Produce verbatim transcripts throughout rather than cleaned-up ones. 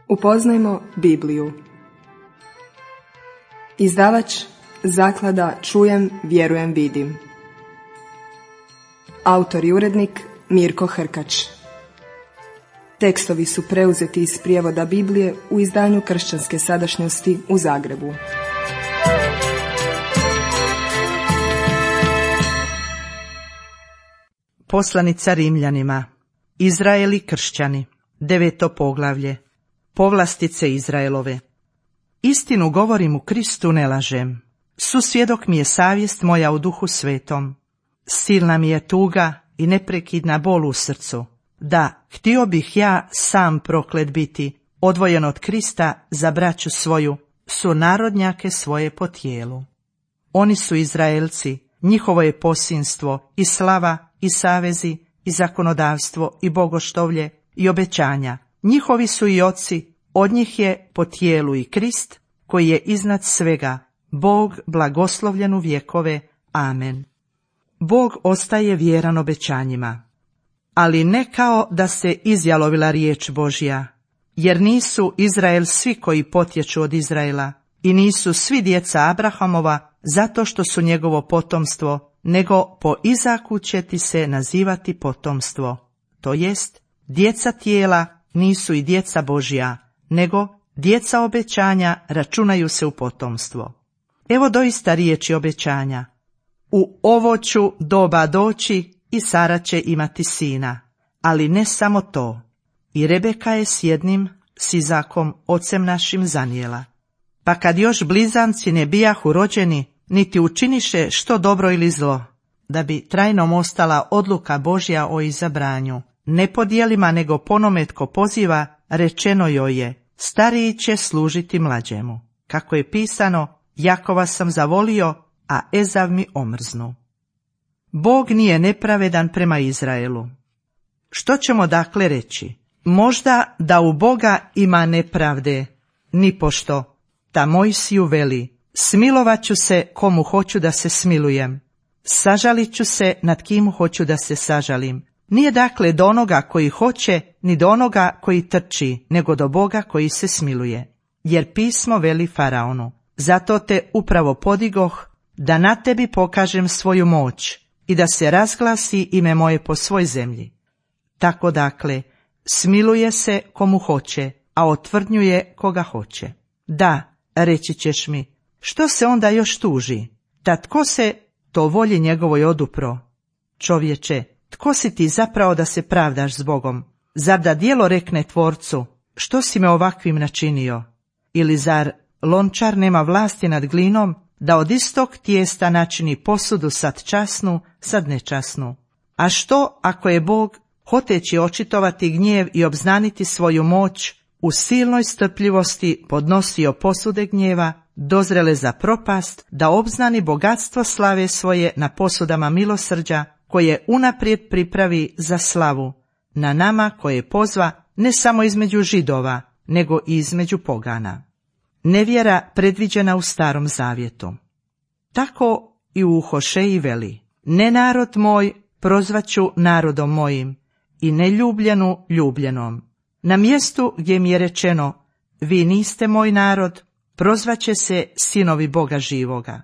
Upoznajmo Bibliju. Izdavač Zaklada Čujem, vjerujem, vidim. Autor i urednik Mirko Hrkač. Tekstovi su preuzeti iz prijevoda Biblije u izdanju Kršćanske sadašnjosti u Zagrebu. Poslanica Rimljanima. Izraeli kršćani. Deveto poglavlje. Povlastice Izraelove. Istinu govorim u Kristu, ne lažem. Susvjedok mi je savjest moja u Duhu Svetom. Silna mi je tuga i neprekidna bol u srcu. Da, htio bih ja sam proklet biti, odvojen od Krista za braću svoju, sunarodnjake svoje po tijelu. Oni su Izraelci, njihovo je posinstvo i slava i savezi i zakonodavstvo i bogoštovlje i obećanja. Njihovi su i oci, od njih je po tijelu i Krist, koji je iznad svega, Bog blagoslovljen u vjekove. Amen. Bog ostaje vjeran obećanjima, ali ne kao da se izjalovila riječ Božja, jer nisu Izrael svi koji potječu od Izraela i nisu svi djeca Abrahamova zato što su njegovo potomstvo, nego po Izaku će ti se nazivati potomstvo, to jest djeca tijela nisu i djeca Božja, nego djeca obećanja računaju se u potomstvo. Evo doista riječi obećanja. U ovo ću doba doći i Sara će imati sina, ali ne samo to. I Rebeka je s jednim, s Izakom, ocem našim, zanijela. Pa kad još blizanci ne bijahu rođeni, niti učiniše što dobro ili zlo, da bi trajnom ostala odluka Božja o izabranju, ne po djelima nego ponome tko poziva, rečeno joj je, stariji će služiti mlađemu. Kako je pisano, Jakova sam zavolio, a Ezav mi omrznu. Bog nije nepravedan prema Izraelu. Što ćemo dakle reći? Možda da u Boga ima nepravde, nipošto. Ta Mojsiju veli, smilovat ću se komu hoću da se smilujem, sažalit ću se nad kim hoću da se sažalim. Nije dakle do onoga koji hoće, ni do onoga koji trči, nego do Boga koji se smiluje. Jer pismo veli Faraonu, zato te upravo podigoh, da na tebi pokažem svoju moć i da se razglasi ime moje po svoj zemlji. Tako dakle, smiluje se komu hoće, a otvrdnjuje koga hoće. Da, reći ćeš mi, što se onda još tuži? Ta tko se to volji njegovoj odupro? Čovječe, tko si ti zapravo da se pravdaš s Bogom? Zar da djelo rekne tvorcu, što si me ovakvim načinio? Ili zar lončar nema vlasti nad glinom, da od istog tijesta načini posudu sad časnu, sad nečasnu? A što ako je Bog, hoteći očitovati gnjev i obznaniti svoju moć, u silnoj strpljivosti podnosio posude gnjeva, dozrele za propast, da obznani bogatstvo slave svoje na posudama milosrđa, koje unaprijed pripravi za slavu, na nama koje pozva ne samo između Židova, nego i između pogana. Nevjera predviđena u Starom Zavjetu. Tako i u Hošeji veli, ne narod moj prozvaću narodom mojim i neljubljenu ljubljenom. Na mjestu gdje mi je rečeno, vi niste moj narod, prozvaće se sinovi Boga živoga.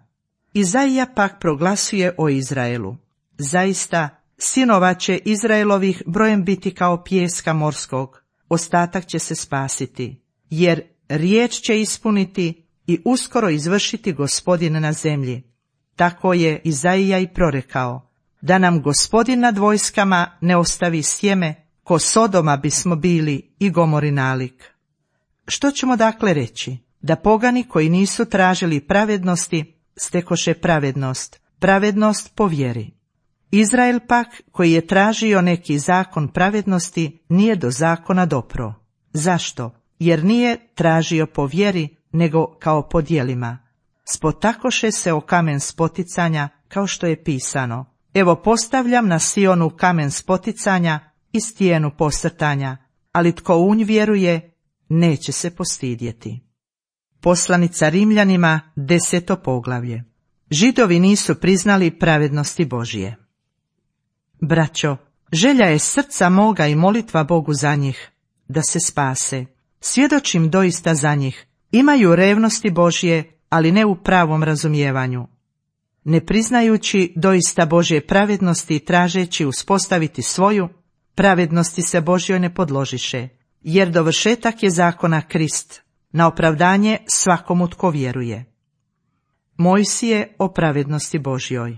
Izaija pak proglasuje o Izraelu. Zaista, sinova će Izraelovih brojem biti kao pijeska morskog, ostatak će se spasiti, jer riječ će ispuniti i uskoro izvršiti Gospodin na zemlji. Tako je Izaija i prorekao, da nam Gospodin nad vojskama ne ostavi sjeme, ko Sodoma bismo bili i Gomori nalik. Što ćemo dakle reći? Da pogani koji nisu tražili pravednosti, stekoše pravednost, pravednost po vjeri. Izrael pak, koji je tražio neki zakon pravednosti, nije do zakona dopro. Zašto? Jer nije tražio po vjeri, nego kao po djelima. Spotakoše se o kamen spoticanja, kao što je pisano. Evo postavljam na Sionu kamen spoticanja i stijenu posrtanja, ali tko u nj vjeruje, neće se postidjeti. Poslanica Rimljanima, deseto poglavlje. Židovi nisu priznali pravednosti Božije. Braćo, želja je srca moga i molitva Bogu za njih, da se spase. Svjedočim doista za njih. Imaju revnosti Božje, ali ne u pravom razumijevanju. Ne priznajući doista Božje pravednosti i tražeći uspostaviti svoju, pravednosti se Božjoj ne podložiše, jer dovršetak je zakona Krist, na opravdanje svakomu tko vjeruje. Mojsije o pravednosti Božjoj.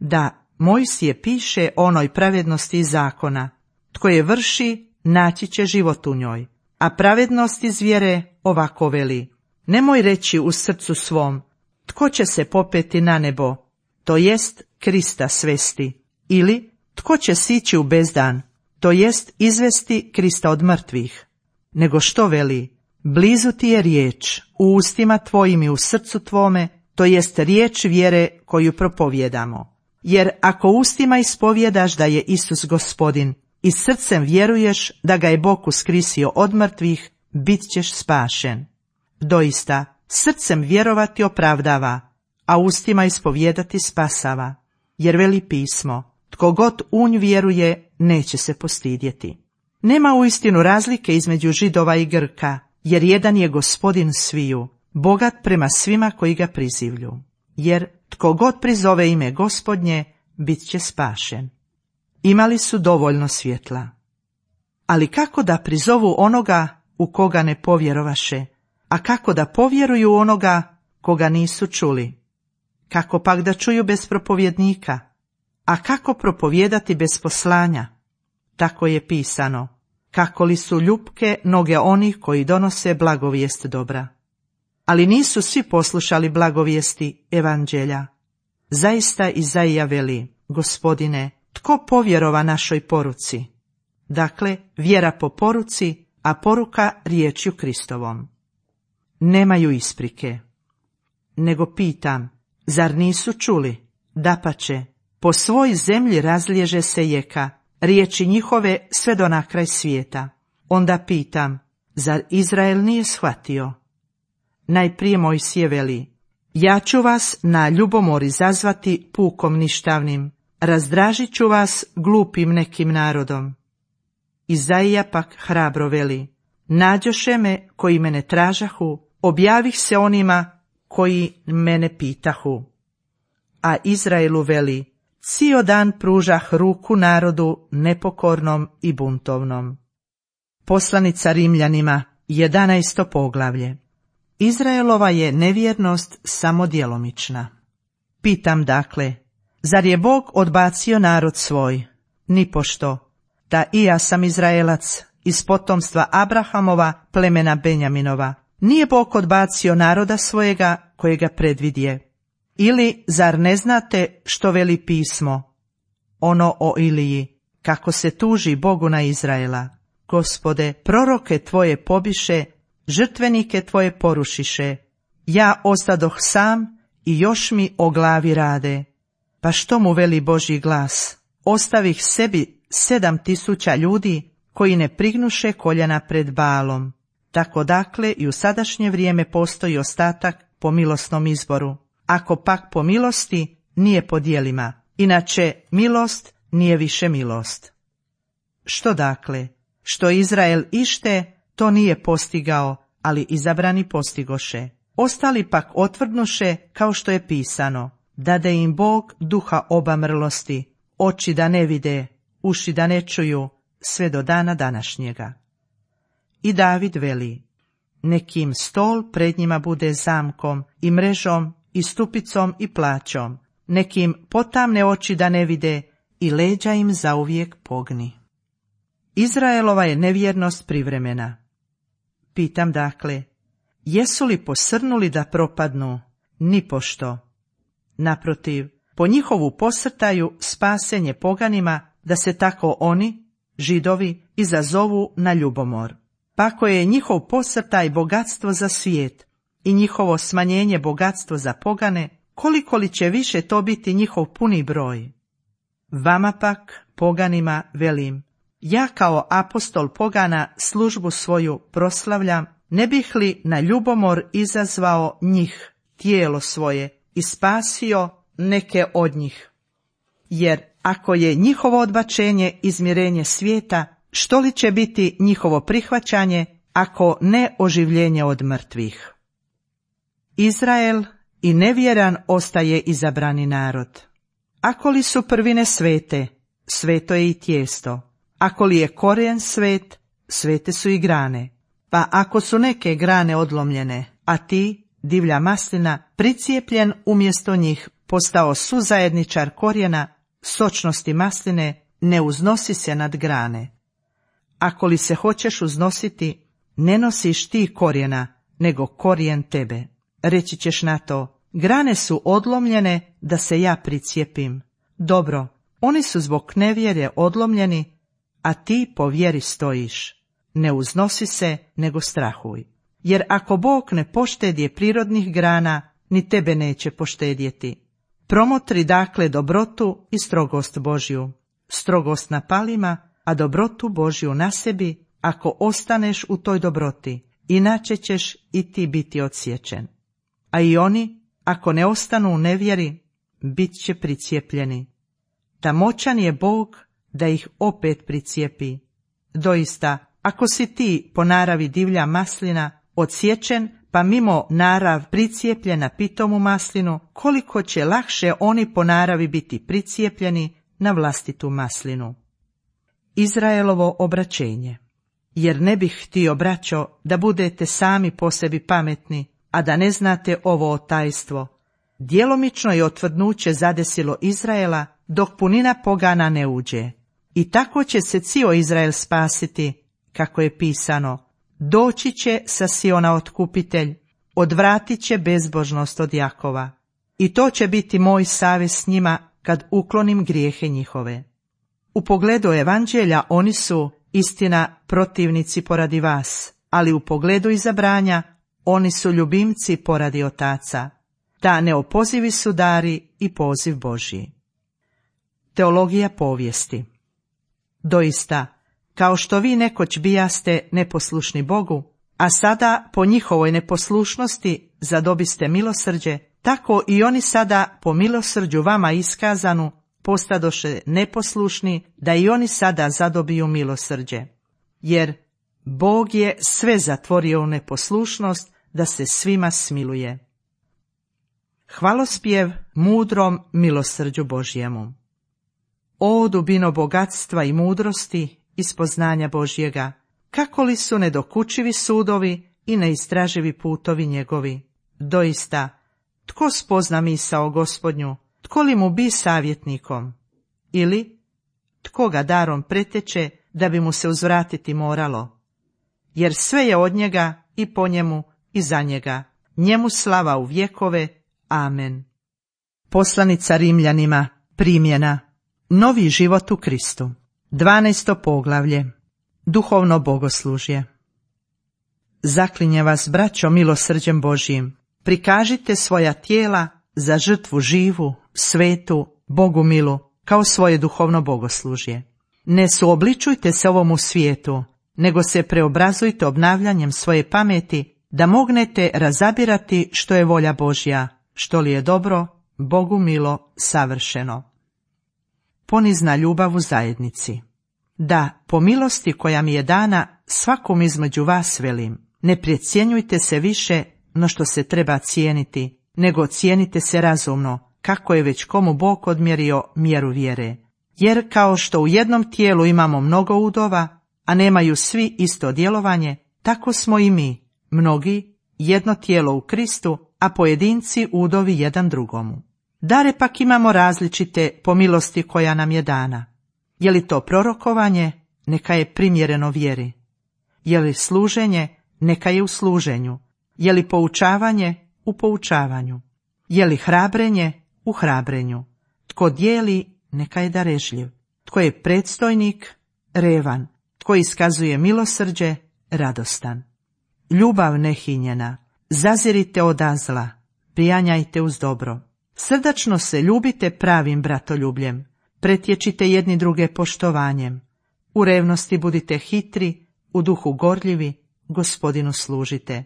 Da, Mojsije piše o onoj pravednosti iz zakona. Tko je vrši, naći će život u njoj. A pravednost iz vjere ovako veli: nemoj reći u srcu svom, tko će se popeti na nebo, to jest Krista svesti, ili tko će sići u bezdan, to jest izvesti Krista od mrtvih. Nego što veli? Blizu ti je riječ, u ustima tvojim i u srcu tvome, to jest riječ vjere koju propovjedamo. Jer ako ustima ispovjedaš da je Isus Gospodin i srcem vjeruješ da ga je Bog uskrisio od mrtvih, bit ćeš spašen. Doista, srcem vjerovati opravdava, a ustima ispovjedati spasava. Jer veli pismo: tko god u nj vjeruje, neće se postidjeti. Nema uistinu razlike između Židova i Grka, jer jedan je Gospodin sviju, bogat prema svima koji ga prizivlju. Jer tko god prizove ime Gospodnje, bit će spašen. Imali su dovoljno svjetla. Ali kako da prizovu onoga u koga ne povjerovaše, a kako da povjeruju onoga koga nisu čuli? Kako pak da čuju bez propovjednika? A kako propovijedati bez poslanja? Tako je pisano: kako li su ljupke noge onih koji donose blagovijest dobra. Ali nisu svi poslušali blagovijesti evanđelja. Zaista Izaija veli: Gospodine, tko povjerova našoj poruci? Dakle, vjera po poruci, a poruka riječju Kristovom. Nemaju isprike. Nego pitam, zar nisu čuli? Dapače, po svoj zemlji razliježe se jeka, riječi njihove sve do na kraj svijeta. Onda pitam, zar Izrael nije shvatio? Najprije Mojsije veli: ja ću vas na ljubomor izazvati pukom ništavnim, razdražit ću vas glupim nekim narodom. Izaija pak hrabro veli: nađoše me koji mene tražahu, objavih se onima koji mene pitahu. A Izraelu veli: cijel dan pružah ruku narodu nepokornom i buntovnom. Poslanica Rimljanima, jedanaesto poglavlje. Izraelova je nevjernost samo djelomična. Pitam dakle, zar je Bog odbacio narod svoj? Nipošto. Da i ja sam Izraelac, iz potomstva Abrahamova, plemena Benjaminova. Nije Bog odbacio naroda svojega kojega predvidje. Ili zar ne znate što veli pismo? Ono o Iliji, kako se tuži Bogu na Izraela. Gospode, proroke tvoje pobiše, žrtvenike tvoje porušiše. Ja ostadoh sam i još mi o glavi rade. Pa što mu veli Božji glas? Ostavih sebi sedam tisuća ljudi koji ne prignuše koljena pred Baalom. Tako dakle i u sadašnje vrijeme postoji ostatak po milosnom izboru. Ako pak po milosti, nije po djelima. Inače, milost nije više milost. Što dakle? Što Izrael ište, to nije postigao, ali izabrani postigoše. Ostali pak otvrdnuše, kao što je pisano: dade im Bog duha obamrlosti, oči da ne vide, uši da ne čuju, sve do dana današnjega. I David veli: nekim stol pred njima bude zamkom i mrežom i stupicom i plaćom, nekim potamne oči da ne vide i leđa im zauvijek pogni. Izraelova je nevjernost privremena. Pitam dakle, jesu li posrnuli da propadnu? Nipošto. Naprotiv, po njihovu posrtaju spasenje poganima, da se tako oni, Židovi, izazovu na ljubomor. Pa ako je njihov posrtaj bogatstvo za svijet i njihovo smanjenje bogatstvo za pogane, koliko li će više to biti njihov puni broj? Vama pak, poganima, velim: ja kao apostol pogana službu svoju proslavljam, ne bih li na ljubomor izazvao njih, tijelo svoje, i spasio neke od njih. Jer ako je njihovo odbačenje izmirenje svijeta, što li će biti njihovo prihvaćanje ako ne oživljenje od mrtvih. Izrael i nevjeran ostaje izabrani narod. Ako li su prvine svete, sveto je i tijesto. Ako li je korijen svet, svete su i grane. Pa ako su neke grane odlomljene, a ti, divlja maslina, pricijepljen umjesto njih, postao suzajedničar korijena, sočnosti masline, ne uznosi se nad grane. Ako li se hoćeš uznositi, ne nosiš ti korijena, nego korijen tebe. Reći ćeš na to, grane su odlomljene da se ja pricijepim. Dobro, oni su zbog nevjere odlomljeni, a ti po vjeri stojiš. Ne uznosi se, nego strahuj. Jer ako Bog ne poštedje prirodnih grana, ni tebe neće poštedjeti. Promotri dakle dobrotu i strogost Božju. Strogost na palima, a dobrotu Božju na sebi, ako ostaneš u toj dobroti, inače ćeš i ti biti odsječen. A i oni, ako ne ostanu u nevjeri, bit će pricijepljeni. Ta moćan je Bog da ih opet pricijepi. Doista, ako si ti po naravi divlja maslina odsječen, pa mimo narav pricijepljen na pitomu maslinu, koliko će lakše oni po naravi biti pricijepljeni na vlastitu maslinu. Izraelovo obraćenje. Jer ne bih htio, braćo, da budete sami po sebi pametni, a da ne znate ovo tajstvo. Djelomično je otvrdnuće zadesilo Izraela, dok punina pogana ne uđe. I tako će se cio Izrael spasiti, kako je pisano, doći će sa Siona otkupitelj, odvratit će bezbožnost od Jakova. I to će biti moj savez s njima, kad uklonim grijehe njihove. U pogledu evanđelja oni su, istina, protivnici poradi vas, ali u pogledu izabranja oni su ljubimci poradi otaca. Ta neopozivi su dari i poziv Božji. Teologija povijesti. Doista, kao što vi nekoć bijaste neposlušni Bogu, a sada po njihovoj neposlušnosti zadobiste milosrđe, tako i oni sada po milosrđu vama iskazanu postadoše neposlušni, da i oni sada zadobiju milosrđe. Jer Bog je sve zatvorio u neposlušnost, da se svima smiluje. Hvalospjev mudrom milosrđu Božjemu. O dubino bogatstva i mudrosti i spoznanja Božjega, kako li su nedokučivi sudovi i neistraživi putovi njegovi. Doista, tko spozna misao Gospodnju, tko li mu bi savjetnikom? Ili, tko ga darom preteče da bi mu se uzvratiti moralo? Jer sve je od njega i po njemu i za njega. Njemu slava u vjekove. Amen. Poslanica Rimljanima, primjena. Novi život u Kristu. dvanaesto poglavlje. Duhovno bogoslužje. Zaklinje vas, braćo, milosrđem Božjim, prikažite svoja tijela za žrtvu živu, svetu, Bogu milu, kao svoje duhovno bogoslužje. Ne suobličujte se ovomu svijetu, nego se preobrazujte obnavljanjem svoje pameti, da mognete razabirati što je volja Božja, što li je dobro, Bogu milo, savršeno. Ponizna ljubav u zajednici. Da, po milosti koja mi je dana, svakom između vas velim, ne precjenjujte se više no što se treba cijeniti, nego cijenite se razumno, kako je već komu Bog odmjerio mjeru vjere. Jer kao što u jednom tijelu imamo mnogo udova, a nemaju svi isto djelovanje, tako smo i mi, mnogi, jedno tijelo u Kristu, a pojedinci udovi jedan drugomu. Dare pak imamo različite po milosti koja nam je dana. Je li to prorokovanje? Neka je primjereno vjeri. Je li služenje? Neka je u služenju. Je li poučavanje? U poučavanju. Je li hrabrenje? U hrabrenju. Tko dijeli? Neka je darežljiv. Tko je predstojnik? Revan. Tko iskazuje milosrđe? Radostan. Ljubav nehinjena. Zazirite od zla. Prijanjajte uz dobro. Srdačno se ljubite pravim bratoljubljem. Pretječite jedni druge poštovanjem. U revnosti budite hitri, u duhu gorljivi, Gospodinu služite.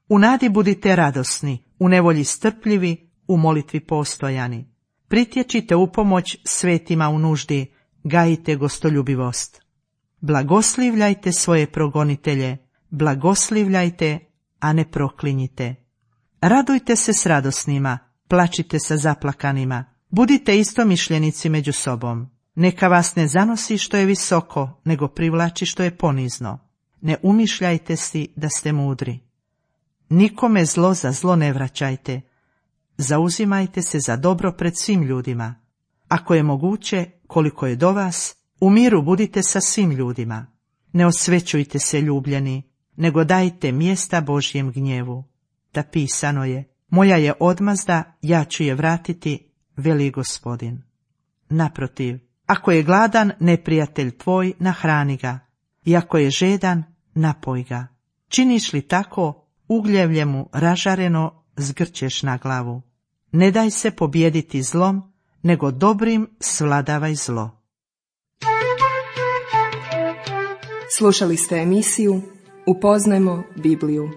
U nadi budite radosni, u nevolji strpljivi, u molitvi postojani. Pritječite u pomoć svetima u nuždi, gajite gostoljubivost. Blagoslivljajte svoje progonitelje, blagoslivljajte, a ne proklinjite. Radujte se s radosnima, plačite sa zaplakanima, budite istomišljenici među sobom. Neka vas ne zanosi što je visoko, nego privlači što je ponizno. Ne umišljajte si da ste mudri. Nikome zlo za zlo ne vraćajte. Zauzimajte se za dobro pred svim ljudima. Ako je moguće, koliko je do vas, u miru budite sa svim ljudima. Ne osvećujte se ljubljeni, nego dajte mjesta Božjem gnjevu. Da pisano je, moja je odmazda, ja ću je vratiti, veli Gospodin. Naprotiv, ako je gladan neprijatelj tvoj, nahrani ga, i ako je žedan, napoj ga. Činiš li tako, ugljevlje mu ražareno zgrćeš na glavu. Ne daj se pobijediti zlom, nego dobrim svladavaj zlo. Slušali ste emisiju Upoznajmo Bibliju.